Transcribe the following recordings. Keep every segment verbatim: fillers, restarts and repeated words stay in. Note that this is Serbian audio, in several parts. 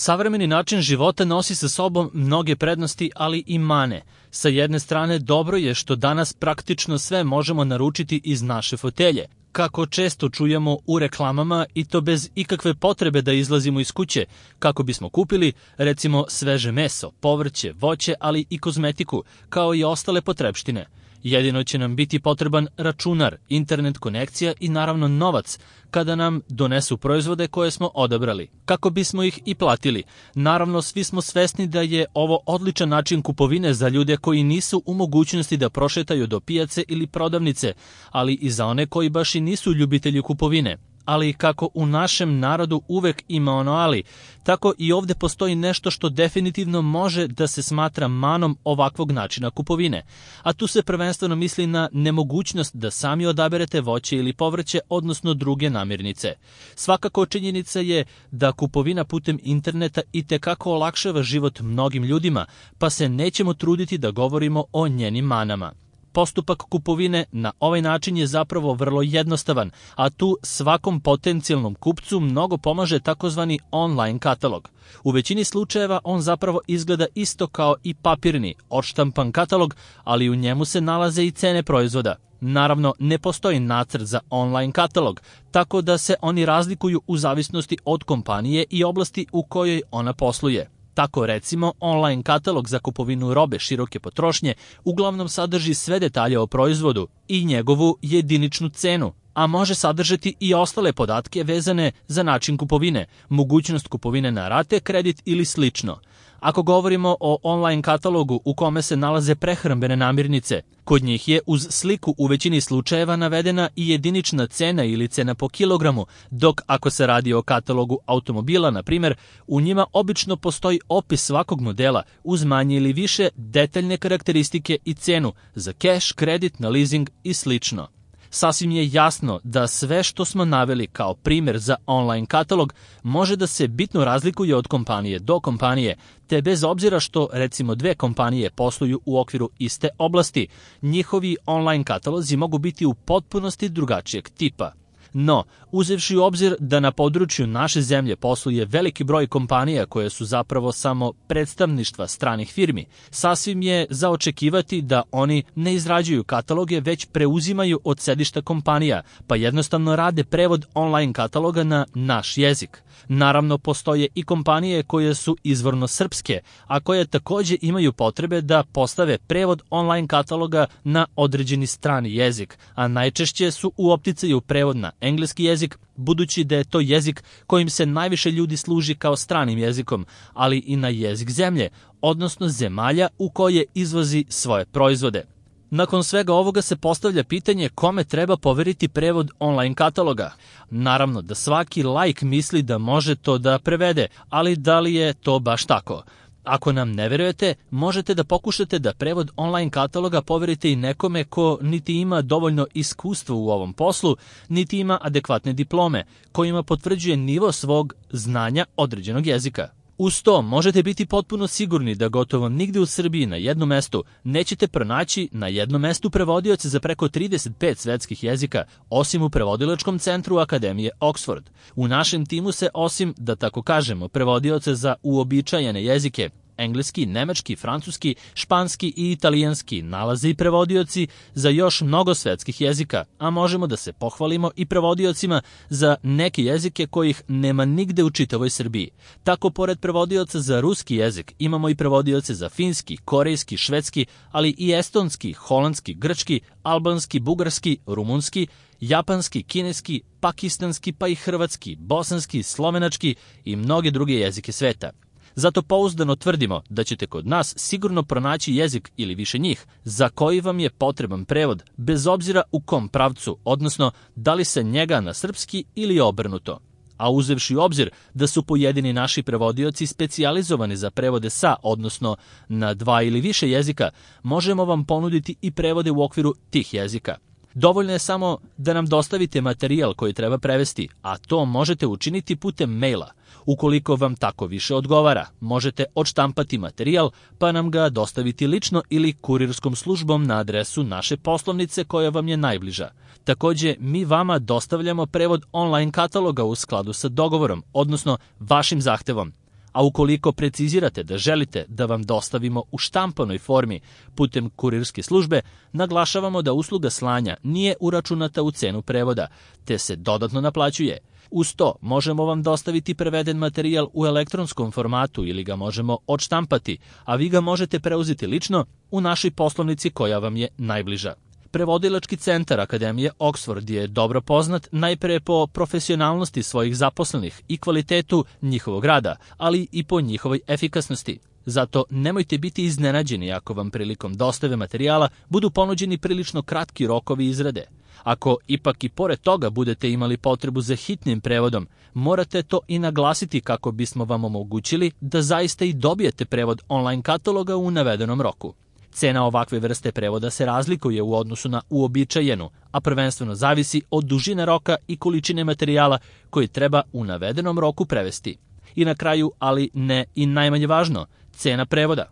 Savremeni način života nosi sa sobom mnoge prednosti, ali i mane. Sa jedne strane, dobro je što danas praktično sve možemo naručiti iz naše fotelje, kako često čujemo u reklamama, i to bez ikakve potrebe da izlazimo iz kuće, kako bismo kupili, recimo, sveže meso, povrće, voće, ali i kozmetiku, kao i ostale potrepštine. Jedino će nam biti potreban računar, internet konekcija i naravno novac kada nam donesu proizvode koje smo odabrali, kako bismo ih i platili. Naravno, svi smo svesni da je ovo odličan način kupovine za ljude koji nisu u mogućnosti da prošetaju do pijace ili prodavnice, ali i za one koji baš i nisu ljubitelji kupovine. Ali kako u našem narodu uvek ima ono ali, tako i ovde postoji nešto što definitivno može da se smatra manom ovakvog načina kupovine. A tu se prvenstveno misli na nemogućnost da sami odaberete voće ili povrće, odnosno druge namirnice. Svakako činjenica je da kupovina putem interneta itekako olakšava život mnogim ljudima, pa se nećemo truditi da govorimo o njenim manama. Postupak kupovine na ovaj način je zapravo vrlo jednostavan, a tu svakom potencijalnom kupcu mnogo pomaže takozvani online katalog. U većini slučajeva on zapravo izgleda isto kao i papirni, odštampan katalog, ali u njemu se nalaze i cene proizvoda. Naravno, ne postoji nacrt za online katalog, tako da se oni razlikuju u zavisnosti od kompanije i oblasti u kojoj ona posluje. Tako, recimo, online katalog za kupovinu robe široke potrošnje uglavnom sadrži sve detalje o proizvodu i njegovu jediničnu cenu, a može sadržati i ostale podatke vezane za način kupovine, mogućnost kupovine na rate, kredit ili slično. Ako govorimo o online katalogu u kome se nalaze prehrambene namirnice, kod njih je uz sliku u većini slučajeva navedena i jedinična cena ili cena po kilogramu, dok ako se radi o katalogu automobila, na primjer, u njima obično postoji opis svakog modela uz manje ili više detaljne karakteristike i cenu za keš, kredit, na leasing i slično. Sasvim je jasno da sve što smo naveli kao primjer za online katalog može da se bitno razlikuje od kompanije do kompanije, te bez obzira što recimo dve kompanije posluju u okviru iste oblasti, njihovi online katalozi mogu biti u potpunosti drugačijeg tipa. No, uzevši u obzir da na području naše zemlje posluje veliki broj kompanija koje su zapravo samo predstavništva stranih firmi, sasvim je za očekivati da oni ne izrađuju kataloge, već preuzimaju od sedišta kompanija, pa jednostavno rade prevod online kataloga na naš jezik. Naravno, postoje i kompanije koje su izvorno srpske, a koje takođe imaju potrebe da postave prevod online kataloga na određeni strani jezik, a najčešće su u opticaju prevod na engleski jezik, budući da je to jezik kojim se najviše ljudi služi kao stranim jezikom, ali i na jezik zemlje, odnosno zemalja u koje izvozi svoje proizvode. Nakon svega ovoga se postavlja pitanje kome treba poveriti prevod online kataloga. Naravno da svaki laik misli da može to da prevede, ali da li je to baš tako? Ako nam ne verujete, možete da pokušate da prevod online kataloga poverite i nekome ko niti ima dovoljno iskustva u ovom poslu, niti ima adekvatne diplome, kojima potvrđuje nivo svog znanja određenog jezika. Uz to možete biti potpuno sigurni da gotovo nigde u Srbiji na jednom mestu nećete pronaći na jednom mestu prevodioce za preko trideset pet svetskih jezika, osim u prevodilačkom centru Akademije Oxford. U našem timu se, osim, da tako kažemo, prevodioce za uobičajene jezike, engleski, nemački, francuski, španski i italijanski, nalaze i prevodioci za još mnogo svetskih jezika, a možemo da se pohvalimo i prevodiocima za neke jezike kojih nema nigde u čitavoj Srbiji. Tako, pored prevodioca za ruski jezik, imamo i prevodioce za finski, korejski, švedski, ali i estonski, holandski, grčki, albanski, bugarski, rumunski, japanski, kineski, pakistanski, pa i hrvatski, bosanski, slovenački i mnoge druge jezike sveta. Zato pouzdano tvrdimo da ćete kod nas sigurno pronaći jezik ili više njih za koji vam je potreban prevod, bez obzira u kom pravcu, odnosno da li se njega na srpski ili obrnuto. A uzevši u obzir da su pojedini naši prevodioci specijalizovani za prevode sa, odnosno na dva ili više jezika, možemo vam ponuditi i prevode u okviru tih jezika. Dovoljno je samo da nam dostavite materijal koji treba prevesti, a to možete učiniti putem maila. Ukoliko vam tako više odgovara, možete odštampati materijal pa nam ga dostaviti lično ili kurirskom službom na adresu naše poslovnice koja vam je najbliža. Takođe, mi vama dostavljamo prevod online kataloga u skladu sa dogovorom, odnosno vašim zahtevom. A ukoliko precizirate da želite da vam dostavimo u štampanoj formi putem kurirske službe, naglašavamo da usluga slanja nije uračunata u cenu prevoda, te se dodatno naplaćuje. Uz to možemo vam dostaviti preveden materijal u elektronskom formatu ili ga možemo odštampati, a vi ga možete preuzeti lično u našoj poslovnici koja vam je najbliža. Prevodilački centar Akademije Oxford je dobro poznat najpre po profesionalnosti svojih zaposlenih i kvalitetu njihovog rada, ali i po njihovoj efikasnosti. Zato nemojte biti iznenađeni ako vam prilikom dostave materijala budu ponuđeni prilično kratki rokovi izrade. Ako ipak i pored toga budete imali potrebu za hitnim prevodom, morate to i naglasiti kako bismo vam omogućili da zaista i dobijete prevod online kataloga u navedenom roku. Cena ovakve vrste prevoda se razlikuje u odnosu na uobičajenu, a prvenstveno zavisi od dužine roka i količine materijala koji treba u navedenom roku prevesti. I na kraju, ali ne i najmanje važno, cena prevoda.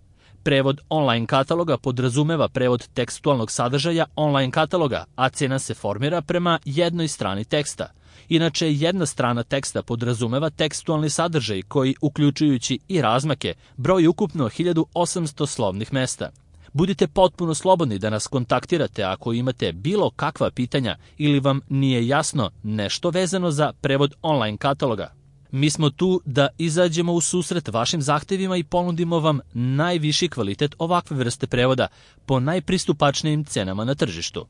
Prevod online kataloga podrazumeva prevod tekstualnog sadržaja online kataloga, a cena se formira prema jednoj strani teksta. Inače, jedna strana teksta podrazumeva tekstualni sadržaj koji, uključujući i razmake, broji ukupno hiljadu osamsto slovnih mesta. Budite potpuno slobodni da nas kontaktirate ako imate bilo kakva pitanja ili vam nije jasno nešto vezano za prevod online kataloga. Mi smo tu da izađemo u susret vašim zahtevima i ponudimo vam najviši kvalitet ovakve vrste prevoda po najpristupačnijim cenama na tržištu.